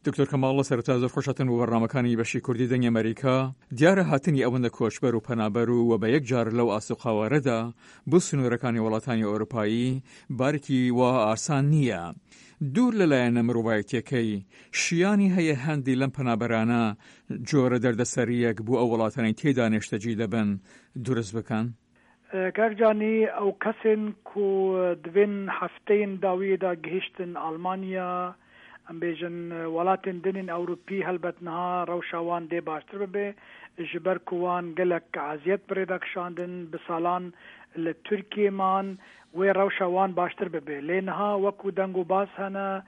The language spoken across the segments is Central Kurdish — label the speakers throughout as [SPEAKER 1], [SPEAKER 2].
[SPEAKER 1] دکتۆر کەماڵ لە سەرەتا زۆر خۆشهاتن بۆ بەرنامەکانی بەشی کوردی دەنگی ئەمەریکا. دیارە هاتنی ئەوەندە کۆچبەر و پەنابەر و وە بە یەک جار لەو ئاست و قەوارەدا بۆ سنوورەکانی وڵاتانی ئەوروپایی بارێکی وا ئاسان نییە. دوور لە لایەنە مرۆڤایەتیەکەی، شیانی هەیە هەندی لەم پەنابەرانە جۆرە دەردەسەرییەک بۆ ئەو وڵاتانەی تێیدا نێشتەجی دەبن دروست بکەن؟
[SPEAKER 2] کاک جانی ئەو کەسێن کو di vên hefteyên dawiyê de gihîştin Almanya em bêjin welatên din ên Ewropî helbet niha rewşa wan dê baştir bibe ji ber ku wan gelek eziyet bi rê de kişandin bi salan li Tirkiyê man wê rewşa wan baştir bibe lê niha wekû deng û bas hene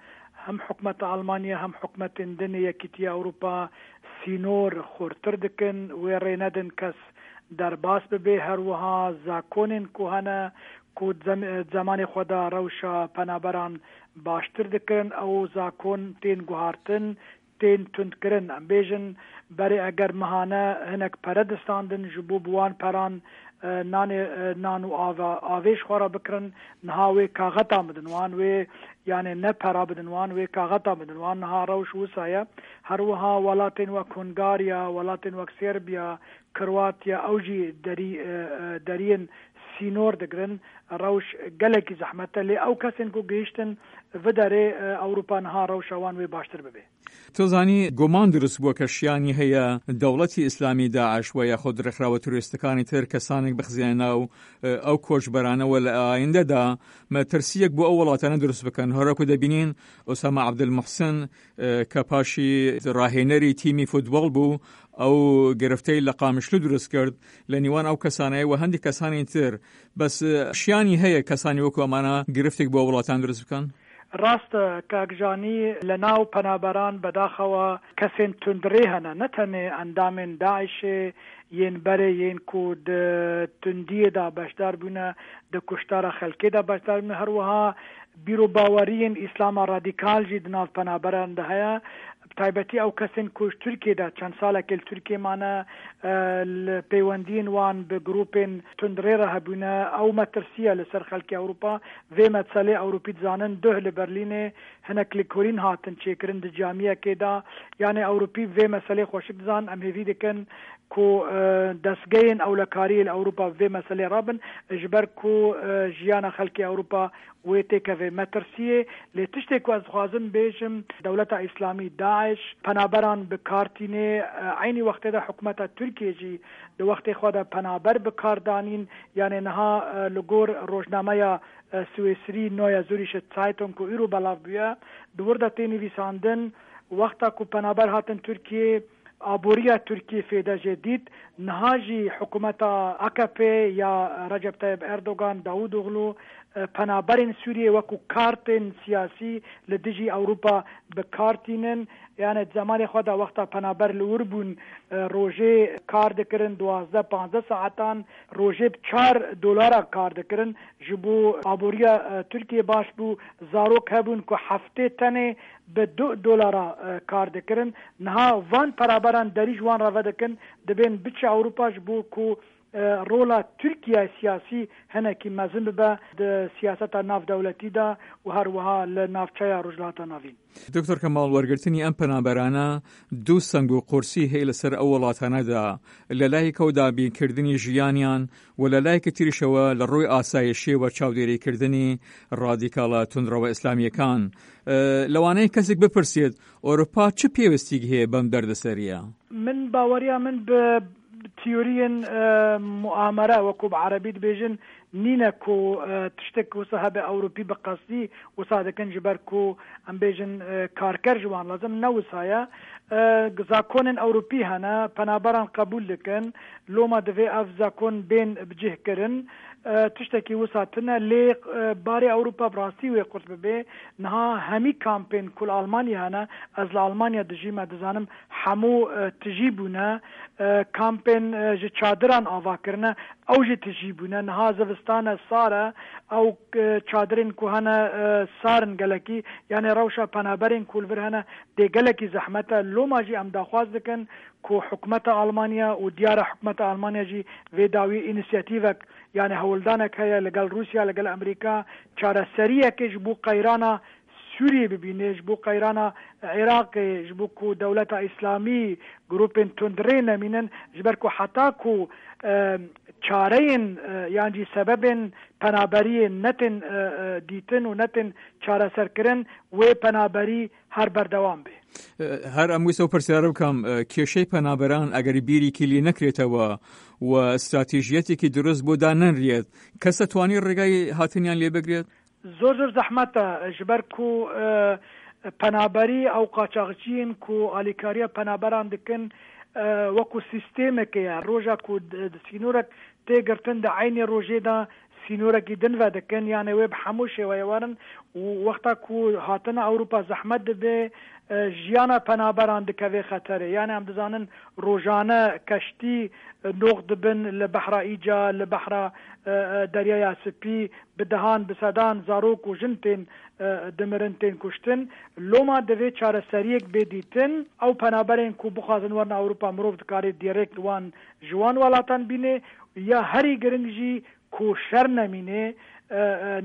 [SPEAKER 2] hem hikûmeta Almanya hem hikûmetên din ê Yekîtiya Ewropa sînor xurtir dikin wê rê nedin kes derbas bibe her wiha zakonên ku hene ku di zemanê xwe de rewşa penaberan baştir dikirin ew zakon tên guhartin tên tundkirin em bêjin berê eger mehane hinek pere distandin ji bo bi wan peran nanê nan û ava avê ji xwe re bikirin niha wê kaxeta bidin wan wê yanê ne pera bidin wan wê kaxeta bidin wan niha rewş wisa ye her wiha welatên wek Hungarya welatên wek Serbiya Kroatya ew jî derî deriyên sînor digirin rewş gelekî zehmet e lê ew kesên ku gihîştin vi derê Ewropa niha rewşa wan wê baştir bibe.
[SPEAKER 1] تۆ زانی گومان دروست بووە کە شیانی هەیە دەوڵەتی ئیسلامی داعش و یاخود ڕێکخراوە تیرۆریستەکانی تر کەسانێک بخزێنە ناو ئەو کۆچبەرانەوە لە ئایندەدا مەترسییەک بۆ ئەو وڵاتانە دروست بکەن هەروەکو دەبینین ئوسامە عەبدولموحسن کە پاشی ڕاهێنەری تیمی فوتبۆڵ بوو ئەو گرفتەی لە قامشلو دروست کرد لە نیوان ئەو کەسانەیە و هەندێک کەسانی تر بەس شیانی هەیە کەسانی وەکو ئەمانە گرفتێک بۆ وڵاتان دروست بکەن؟
[SPEAKER 2] ڕاستە کاک ژانی لە ناو پەنابەران بەداخەوە کەسێن توندڕێ هەنە نە تەنێ ئەندامێن داعشێ yên berê yên ku di tundiyê de beşdar bûne di kuştara xelkê de beşdar bûne her wiha bîr û baweriyên îslama radîkal jî di nav penaberan de heye bi taybetî ew kesên ku ji Tirkiyê de çend salekê li Tirkiyê mane li pêwendiyên wan bi grûpên tundrê re hebûne ew metirsiye li ser xelkê Ewropa vê metselê Ewropî dizanin duh li Berlînê hinek lêkolîn hatin çêkirin di camiyekê de yanê Ewropî bi vê meselê xweşik dizanin em hêvî dikin ku destgehên ewlekariyê li Ewropa bi vê meselê rabin ji ber ku jiyana xelkê Ewropa wê têkeve metirsiyê lê tiştê ku ez dixwazim bêjim dewleta îslamî daiş penaberan bi kar tînê eynî wextê de hikûmeta Tirkiyê jî di wextê xwe de penaber bi kar danîn yanê niha li gor rojnameya Swêsrî Neue Züricher Zeitung ku îro belav bûye di wir de tê nivîsandin wexta ku penaber hatin Tirkiyê Aboriya Tirkiyê fêde jê dît. Niha jî hikûmeta akp ya Recep Tayyip Erdogan, Davutoglu penaberên Sûriyê wekû kartên siyasî li dijî Ewropa bi kar tînin. Yanê di zemanê xwe de wexta penaber li wir bûn rojê kar dikirin 12 15 saetan rojê bi çar dolara kar dikirin. Ji bo aboriya Tirkiyê baş bû. Zarok hebûn ku heftê tenê bi du dolara kar dikirin. Niha van peraberan derî ji wan re vedikin, dibên biçe Ewropa ji bo ku rola Tirkiyeyê siyasî hinekî mezin bibe di siyaseta navdewletî de û her wiha li navçeya Rojhilata Navîn.
[SPEAKER 1] Doktor Kemal, وەرگرتنی ئەم پەنابەرانە دوو سەنگ و قورسی هەیە لەسەر ئەو وڵاتانەدا، لە لایەکەوە دابینکردنی ژیانیان و لە لایەکی تریشەوە لە ڕووی ئاسایشیەوە چاودێریکردنی ڕادیکاڵە توندڕەوە ئیسلامییەکان. لەوانەیە کەسێک بپرسێت ئۆرۆپا چ پێویستیک هەیە بەم دەردەسەرییە؟
[SPEAKER 2] من باوەریا من بە تیۆریەن موئامەرە وەکو بە عەرەبی دبێژن نینە کو تشتێک وسا هەبێ ئەوروپی بە قەسدی وسا دەکەن ji ber ku em bêjin karker ji wan lazim ne wisa ye zakonên Ewropî hene penaberan qebûl dikin loma divê ev zakon bên bi cih kirin tiştekî wisa tune lê barê Ewropa bi rastî wê qurt bibe niha hemî kampên ku li Almanya hene ez li Almanya dijîm ez dizanim hemû tijî bûne kampên ji çadiran ava kirine ew jî tijî bûne niha zivistan e sar e ew çadirên ku hene sar in gelekî yanê rewşa penaberên ku li vir hene dê gelekî zehmet e loma jî em daxwaz dikin ku hikûmeta Almanya û diyara hikûmeta Almanya jî vê dawî înîsiyatîvek yanê hewldanek heye li gel Rûsya li gel Amerîka çareseriyekê ji bo qeyrana. Sûriyê bibîne, ji bo qeyrana Iraqê, ji bo ku dewleta îslamî, grûpên tundrê nemînin, ji ber ku heta ku çareyên yan jî sebebên penaberiyê netên dîtin û netên çareserkirin wê penaberî her berdewam bê.
[SPEAKER 1] Her em wisa pirsyar bikam kêşەی penaberan ئەگەر بیرێکی لێ نەکرێتەوە و ستراتیژیەتێکی دروست بۆ دانەنرێت کەس دەتوانێت ڕێگای هاتنیان لێ بگرێت؟
[SPEAKER 2] زۆر زۆر زەحمەتە ji ber ku penaberî ew qaçaxciyên ku alîkariya penaberan dikin wekû sîstemekê ye roja ku sînorek tê girtin di eynî rojê de sînorekî din vedikin yanê wê bi hemû şêweyê werin û wexta ku hatina Ewropa zehmet dibe jiyana penaberan dikeve xeterê yanê em dizanin rojane keştî noq dibin li behra Îca li behra Deryaya Spî bi dehan bi sedan zarok û jin tên dimirin tên kuştin. Loma divê çareseriyek bê dîtin. Ew penaberên ku bixwazin werin Ewropa mirov dikarê dîrekt wan ji wan welatan bînê. Ya herî giring jî ku şer nemînê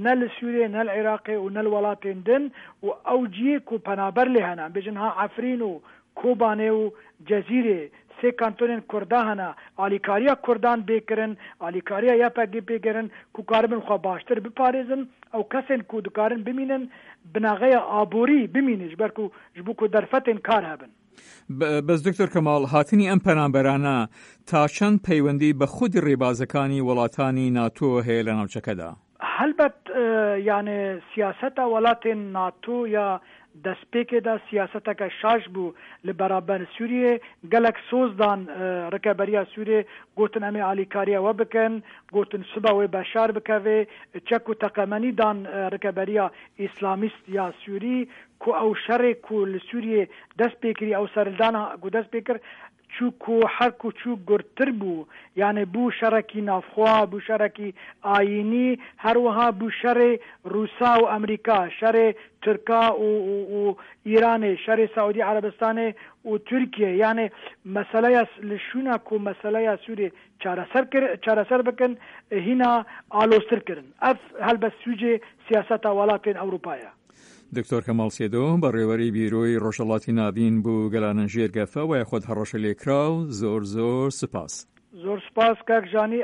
[SPEAKER 2] ne li Sûriyê ne li Iraqê û ne li welatên din û ew ciyê ku penaber lê hene em bêjin ha Efrîn û Kobanê û Cezîrê sê kantonên Kurda hene, alîkariya Kurdan bê kirin, alîkariya YPG'ê bê kirin ku karibin xwe baştir biparêzin, ew kesên ku dikarin bimînin binaxeya aborî bimîne ji ber ku ji bo ku derfetên kar hebin.
[SPEAKER 1] Bes Doktor Kemal, hatinî em penaberane ta çend peywendî bi xudî rêbazekanî welatani NATO heye li navçeke de?
[SPEAKER 2] Helbet yanê siyaseta welatên NATO ya destpêkê de siyaseteke şaş bû li beraber Sûriyê. Gelek soz dan rikeberiya Sûriyê, gotin em ê alîkariya we bikin, gotin sibe wê Beşar bikeve, çek û teqemenî dan rikeberiya îslamîst ya Sûrî ku ew şerê ku li Sûriyê dest pê kirî, ew serildana ku dest pê kir, Çû ku her ku çû gurtir bû. Yanê bû şerekî navxwe, bû şerekî ayînî, her wiha bû şerê Rûsa û Amerîka, şerê Tirka û û Îranê, şerê Saûdî Erebistanê û Tirkiyê. Yanê meseleya li şûna ku meseleya Sûriyê çareser kir çareser bikin hîna aloztir kirin. Ev helbet sûcê siyaseta welatên Ewropa ye.
[SPEAKER 1] دکتۆر کەماڵ سێدۆ، بەڕێوەری بیرۆی ڕۆژهەڵاتی ناڤین بو گەلانن ژێر گەفە وە یاخۆد هەڕەشە لێکراو، زۆر زۆر سپاس.
[SPEAKER 2] زۆر سپاس کاک ژانی.